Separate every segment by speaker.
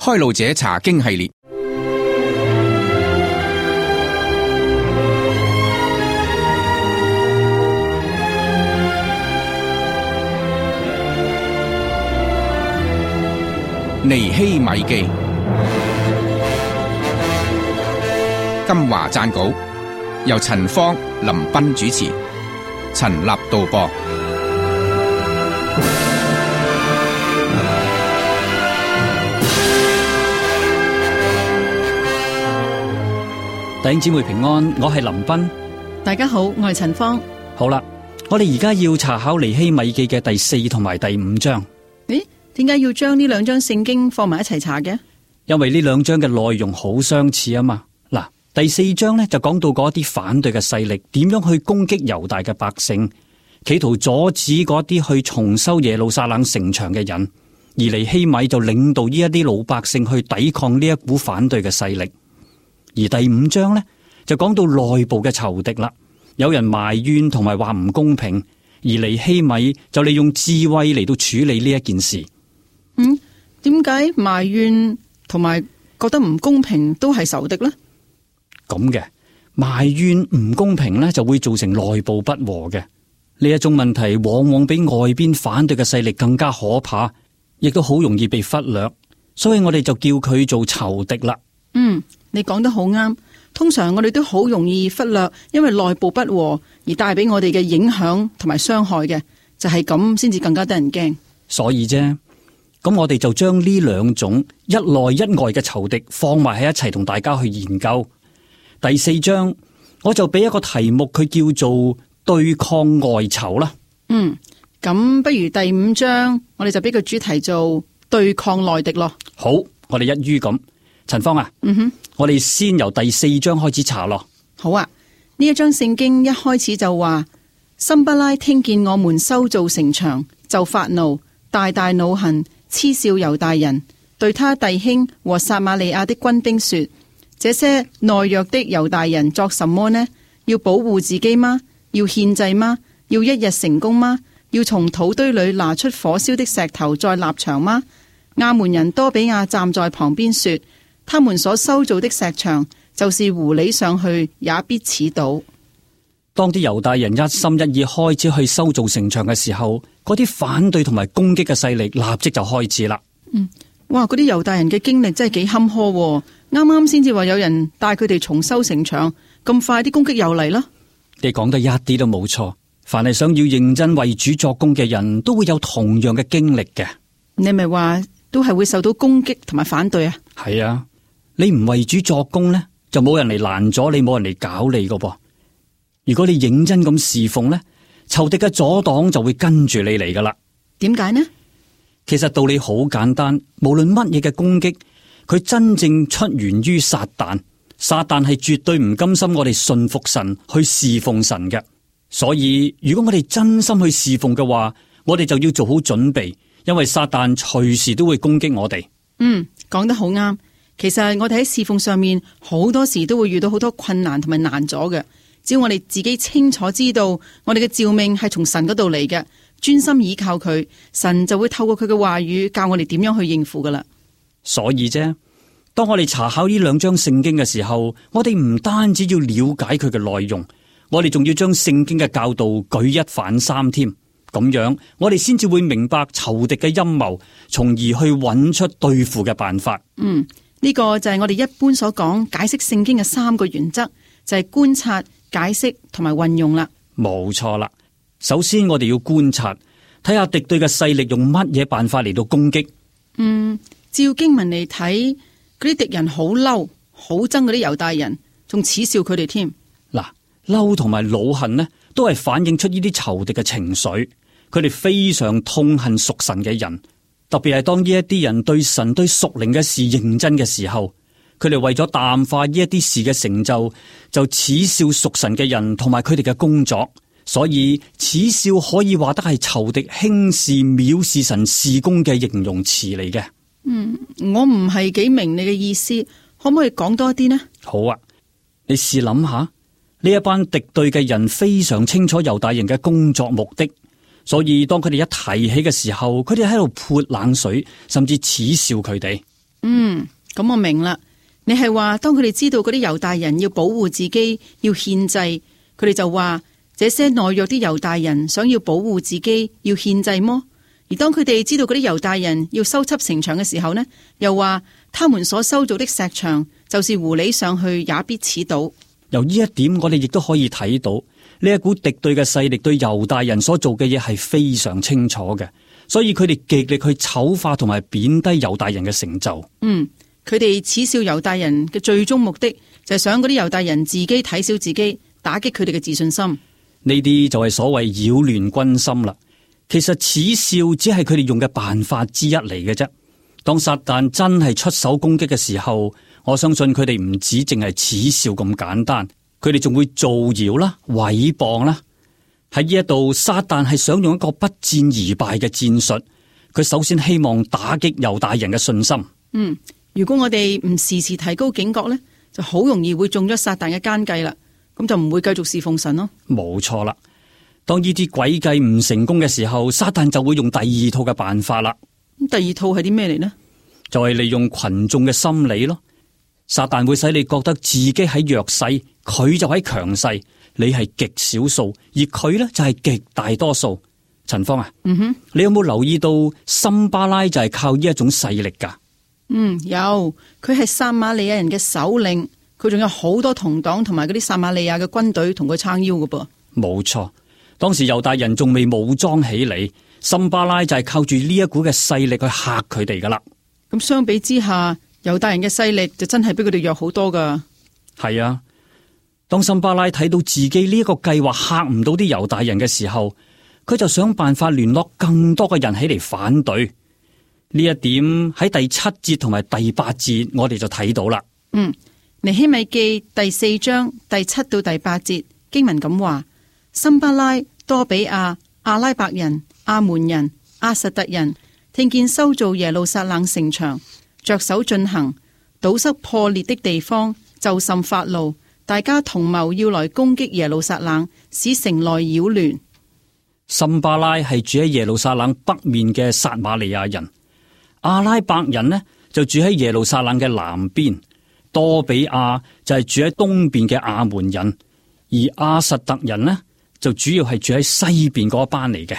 Speaker 1: 開路者查經系列。尼希米記，金華撰稿，由陳芳、林彬主持，陳立導播。
Speaker 2: 弟兄姊妹平安，我係林彬。
Speaker 3: 大家好，我係陳芳。
Speaker 2: 好啦，我哋而家要查考尼希米記嘅第4同埋第5章。
Speaker 3: 咦？點解要將呢兩章聖經放埋一齊查嘅？
Speaker 2: 因為呢兩章嘅內容好相似啊嘛。嗱，第4章呢就講到嗰啲反對嘅勢力點樣去攻擊猶大嘅百姓，企圖阻止嗰啲去重修耶路撒冷城牆嘅人，而尼希米就領導呢一啲老百姓去抵抗呢一股反對嘅勢力。而第5章呢就講到內部嘅仇敵啦，有人埋怨同埋話唔公平，而尼希米就利用智慧嚟到處理呢一件事。
Speaker 3: 點解埋怨同埋覺得唔公平都係仇敵呢？
Speaker 2: 咁嘅埋怨唔公平呢，就會造成內部不和嘅。呢一種問題往往比外邊反對嘅勢力更加可怕，亦都好容易被忽略，所以我哋就叫佢做仇敵啦。
Speaker 3: 你講得好啱。通常我哋都好容易忽略，因為內部不和而帶俾我哋嘅影響同埋傷害嘅，就係咁先至更加得人驚。
Speaker 2: 所以啫。咁我哋就將呢兩種一內一外嘅仇敵放埋喺一齊，同大家去研究。第4章我就俾一個題目，佢叫做對抗外仇啦。
Speaker 3: 咁不如第5章我哋就俾個主題做對抗內敵咯。
Speaker 2: 好，我哋一於咁。陳芳啊，我哋先由第4章開始查咯。
Speaker 3: 好啊，呢一章聖經一開始就話，參巴拉聽見我們修造城牆，就發怒，大大惱恨，嗤笑猶大人，對他弟兄和撒瑪利亞的軍兵說：這些懦弱的猶大人作什麼呢？要保護自己嗎？要獻祭嗎？要一日成功嗎？要從土堆裏拿出火燒的石頭再立牆嗎？亞捫人多比亞站在旁邊說：他們所修造的石牆，就是狐狸上去也必刺倒。
Speaker 2: 當啲猶大人一心一意開始去修造城牆嘅時候，嗰啲反對同埋攻擊嘅勢力立即就開始啦。
Speaker 3: 哇！嗰啲猶大人嘅經歷真係幾坎坷喎。啱啱先至話有人帶佢哋重修城牆，咁快啲攻擊又嚟啦。
Speaker 2: 你講得一啲都冇錯。凡係想要認真為主作工嘅人都會有同樣嘅經歷嘅。
Speaker 3: 你咪話都係會受到攻擊同埋反對啊？
Speaker 2: 係啊，你唔為主作工呢，就冇人嚟攔咗你，冇人嚟搞你噶噃。如果你認真咁侍奉呢，仇敵嘅阻擋就會跟住你嚟噶啦。
Speaker 3: 點解呢？
Speaker 2: 其實道理好簡單，無論乜嘢嘅攻擊，佢真正出源於撒旦。撒旦係絕對唔甘心我哋信服神去侍奉神嘅。所以如果我哋真心去侍奉嘅話，我哋就要做好準備，因為撒旦隨時都會攻擊我哋。
Speaker 3: 講得好啱。其實我哋喺侍奉上面好多時都會遇到好多困難同埋難阻嘅。只要我哋自己清楚知道我哋嘅召命係從神嗰度嚟嘅，專心倚靠佢，神就會透過佢嘅話語教我哋點樣去應付噶啦。
Speaker 2: 所以啫，當我哋查考呢兩章聖經嘅時候，我哋唔單止要了解佢嘅內容，我哋仲要將聖經嘅教導舉一反三添。咁樣我哋先至會明白仇敵嘅陰謀，從而去揾出對付嘅辦法。
Speaker 3: 呢個就係我哋一般所講解釋聖經嘅3個原則，就係觀察、解釋同埋運用啦。
Speaker 2: 冇錯啦。首先我哋要觀察，睇下敵對嘅勢力用乜嘢辦法嚟到攻擊。
Speaker 3: 照經文嚟睇，嗰啲敵人好嬲，好憎嗰啲猶大人，仲恥笑佢哋添。
Speaker 2: 嗱，嬲同埋惱恨呢，都係反映出呢啲仇敵嘅情緒。佢哋非常痛恨屬神嘅人，特別係當呢一啲人對神對屬靈嘅事認真嘅時候，佢哋為咗淡化呢一啲事嘅成就，就恥笑屬神嘅人同埋佢哋嘅工作。所以恥笑可以話得係仇敵輕視藐視神事工嘅形容詞嚟嘅。
Speaker 3: 我唔係幾明你嘅意思，可唔可以講多啲呢？
Speaker 2: 好啊，你試諗下，呢一班敵對嘅人非常清楚猶大人嘅工作目的，所以當佢哋一提起嘅時候，佢哋喺度潑冷水，甚至恥笑佢哋。
Speaker 3: 咁我明啦。你係話當佢哋知道嗰啲猶大人要保護自己，要獻祭，佢哋就話這些懦弱啲猶大人想要保護自己，要獻祭麼？而當佢哋知道嗰啲猶大人要修葺城牆嘅時候呢，又話他們所修造的石牆，就是狐狸上去也必齒倒。
Speaker 2: 由呢一點，我哋亦都可以睇到呢一股敵對嘅勢力對猶大人所做嘅嘢係非常清楚嘅，所以佢哋極力去醜化同埋貶低猶大人嘅成就。
Speaker 3: 佢哋恥笑猶大人嘅最終目的就係想嗰啲猶大人自己睇小自己，打擊佢哋嘅自信心。
Speaker 2: 呢啲就係所謂擾亂軍心啦。其實恥笑只係佢哋用嘅辦法之一嚟嘅啫。當撒旦真係出手攻擊嘅時候，我相信佢哋唔止淨係恥笑咁簡單，佢哋仲會造謠啦、毀謗啦。喺呢一度，撒旦係想用一個不戰而敗嘅戰術。佢首先希望打擊猶大人嘅信心。
Speaker 3: 如果我哋唔時時提高警覺呢，就好容易會中咗撒旦嘅奸計啦。咁就唔會繼續侍奉神咯。
Speaker 2: 冇錯啦。當呢啲詭計唔成功嘅時候，撒旦就會用第二套嘅辦法啦。
Speaker 3: 咁第二套係啲咩嚟呢？就
Speaker 2: 係利用群眾嘅心理咯。撒旦會使你覺得自己喺弱勢，佢就喺強勢，你係極少數，而佢呢就係極大多數。陳芳啊，你有冇留意到參巴拉就係靠呢一種勢力噶？
Speaker 3: 有，佢係撒瑪利亞人嘅首領，佢仲有好多同黨同埋嗰啲撒瑪利亞嘅軍隊同佢撐腰㗎噃。
Speaker 2: 冇錯，當時猶大人仲未武裝起嚟，參巴拉就係靠住呢一股嘅勢力去嚇佢哋噶啦。
Speaker 3: 咁相比之下，猶大人嘅勢力就真係比佢哋弱好多噶。
Speaker 2: 係啊，當參巴拉睇到自己呢一個計劃嚇唔到啲猶大人嘅時候，佢就想辦法聯絡更多嘅人起嚟反對。呢一點喺第7節同埋第8節，我哋就睇到啦。
Speaker 3: 尼希米記第4章第7到第8節經文咁話：參巴拉、多比亞、阿拉伯人、亞門人、亞實突人，聽見修造耶路撒冷城牆，着手進行，堵塞破裂的地方，就甚發怒，大家同謀要來攻擊耶路撒冷，使城內擾亂。
Speaker 2: 參巴拉係住喺耶路撒冷北面嘅撒瑪利亞人。阿拉伯人呢就住喺耶路撒冷嘅南邊，多比亞就係住喺東邊嘅亞門人，而亞實突人呢就主要係住喺西邊嗰一班嚟嘅。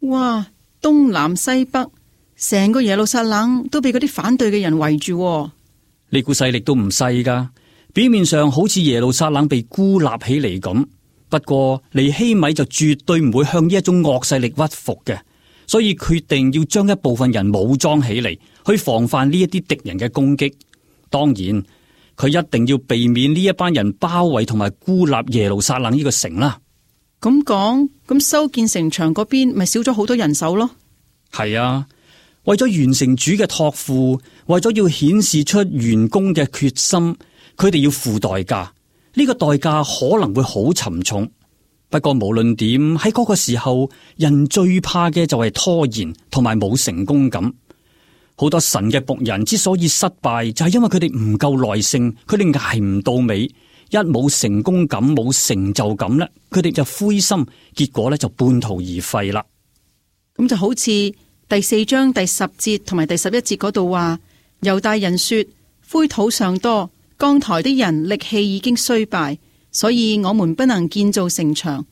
Speaker 3: 哇，東南西北，成個耶路撒冷都被嗰啲反對嘅人圍住。
Speaker 2: 呢股勢力都唔細噶，表面上好似耶路撒冷被孤立起嚟咁，不過尼希米就絕對唔會向呢一種惡勢力屈服嘅。所以決定要將一部分人武裝起嚟，去防範呢一啲敵人嘅攻擊。當然，佢一定要避免呢一班人包圍同埋孤立耶路撒冷呢個城啦。
Speaker 3: 咁講，咁修建城牆嗰邊咪少咗好多人手咯？
Speaker 2: 係啊，為咗完成主嘅託付，為咗要顯示出完工嘅決心，佢哋要付代價。呢個代價可能會好沉重。不過無論點，喺嗰個時候，人最怕嘅就係拖延同埋冇成功感。好多神嘅僕人之所以失敗，就係因為佢哋唔夠耐性，佢哋捱唔到尾，一冇成功感、冇成就感咧，佢哋就灰心，結果咧就半途而廢啦。
Speaker 3: 咁就好似第4章第10節同埋第11節嗰度話，猶大人說：灰土尚多，扛抬的人力氣已經衰敗。所以我們不能建造城牆，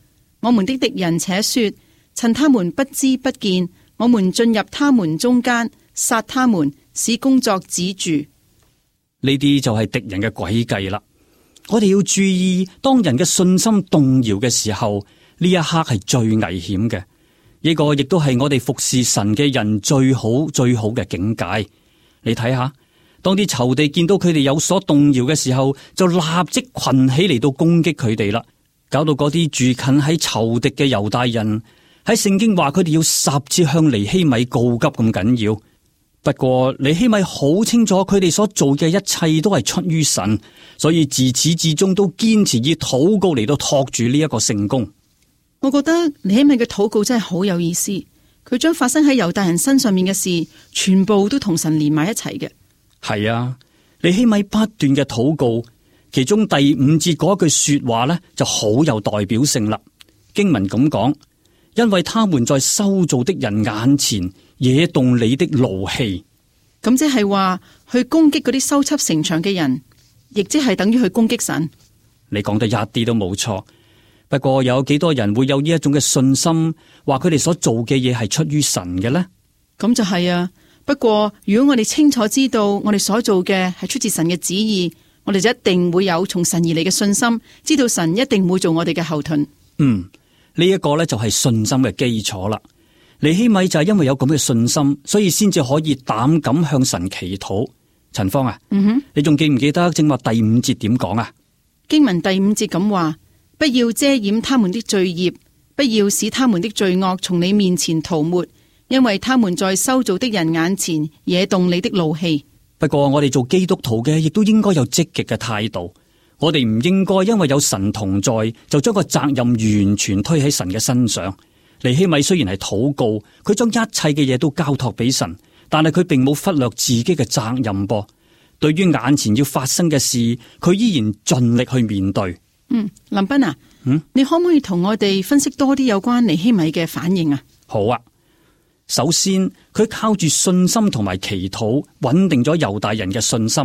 Speaker 3: 我們的敵人且說，趁他們不知不見，我們進入他們中間，殺他們，使工作止住。
Speaker 2: 呢啲就係敵人嘅詭計啦。我哋要注意，當人嘅信心動搖嘅時候，呢一刻係最危險嘅。呢個亦都係我哋服侍神嘅人最好嘅境界。你睇下。當啲仇敵見到佢哋有所動搖嘅時候，就立即群起嚟到攻擊佢哋啦，搞到嗰啲住近喺仇敵嘅猶大人，喺聖經話佢哋要10次向尼希米告急咁緊要。不過尼希米好清楚佢哋所做嘅一切都係出於神，所以自始至終都堅持以禱告嚟到托住呢一個聖工。
Speaker 3: 我覺得尼希米嘅禱告真係好有意思，佢將發生喺猶大人身上面嘅事，全部都同神連埋一齊嘅。
Speaker 2: 係啊，尼希米不斷嘅禱告，其中第5節嗰句說話呢就好有代表性啦。經文咁講，因為他們在修造的人眼前惹動你的怒氣。
Speaker 3: 咁即係話去攻擊嗰啲修葺城牆嘅人，亦即係等於去攻擊神。
Speaker 2: 你講得一啲都冇錯。不過有幾多人會有呢一種嘅信心，話佢哋所做嘅嘢係出於神嘅呢？
Speaker 3: 咁就係啊。不過如果我哋清楚知道我哋所做嘅係出自神嘅旨意，我哋就一定會有從神而嚟嘅信心，知道神一定會做我哋嘅後盾。
Speaker 2: 呢一個呢就係信心嘅基礎啦。尼希米就係因為有咁嘅信心，所以先至可以膽敢向神祈禱。陳芳啊，你仲記唔記得正話第5節點講啊？
Speaker 3: 經文第5節咁話：不要遮掩他們的罪孽，不要使他們的罪惡從你面前塗抹，因為他們在修造的人眼前惹動你的怒氣。
Speaker 2: 不過我哋做基督徒嘅，亦都應該有積極嘅態度。我哋唔應該因為有神同在，就將個責任完全推喺神嘅身上。尼希米雖然係禱告，佢將一切嘅嘢都交託俾神，但係佢並冇忽略自己嘅責任噃。對於眼前要發生嘅事，佢依然盡力去面對。
Speaker 3: 林彬啊，你可唔可以同我哋分析多啲有關尼希米嘅反應啊？
Speaker 2: 好啊，首先佢靠住信心同埋祈禱，穩定咗猶大人嘅信心。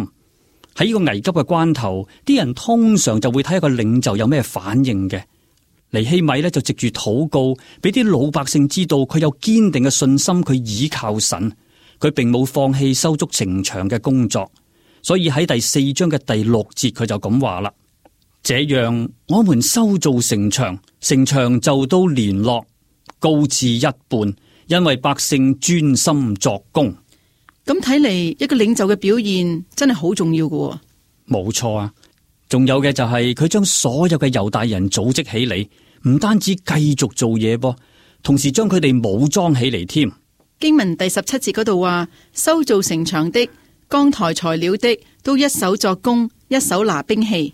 Speaker 2: 喺呢個危急嘅關頭，啲人通常就會睇一個領袖有咩反應嘅。尼希米呢就藉住禱告，俾啲老百姓知道佢有堅定嘅信心，佢倚靠神，佢並冇放棄修築城牆嘅工作。所以喺第4章嘅第6節，佢就咁話啦：這樣我們修造城牆，城牆就都連絡，高至一半，因為百姓專心作工。
Speaker 3: 咁睇嚟，一個領袖嘅表現真係好重要嘅。
Speaker 2: 冇錯啊，仲有嘅就係佢將所有嘅猶大人組織起嚟，唔單止繼續做嘢噃，同時將佢哋武裝起嚟添。
Speaker 3: 經文第17節嗰度話：修造城牆的、扛抬材料的，都一手作工，一手拿兵器。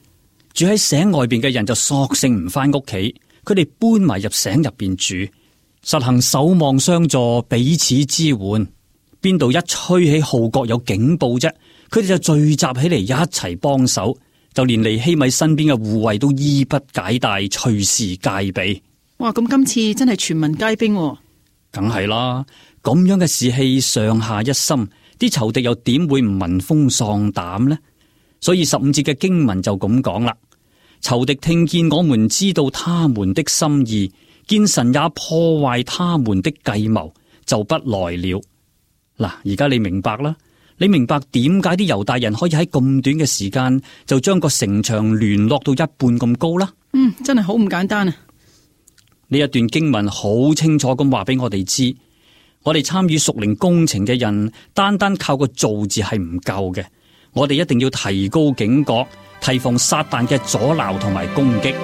Speaker 2: 住喺城外邊嘅人就索性唔翻屋企，佢哋搬埋入城入邊住，實行守望相助，彼此支援。邊度一吹起號角有警報啫，佢哋就聚集起嚟一齊幫手，就連尼希米身邊嘅護衛都衣不解帶，隨時戒備。
Speaker 3: 哇！咁今次真係全民皆兵喎。
Speaker 2: 梗係啦，咁樣嘅士氣上下一心，啲仇敵又點會唔聞風喪膽呢？所以15節嘅經文就咁講啦：仇敵聽見我們知道他們的心意，見神也破壞他們的計謀，就不來了。嗱，而家你明白啦，你明白點解啲猶大人可以喺咁短嘅時間就將個城牆聯絡到一半咁高啦？
Speaker 3: 真係好唔簡單啊！
Speaker 2: 呢一段經文好清楚咁話俾我哋知，我哋參與屬靈工程嘅人，單單靠個做字係唔夠嘅，我哋一定要提高警覺，提防撒旦嘅阻撓同埋攻擊。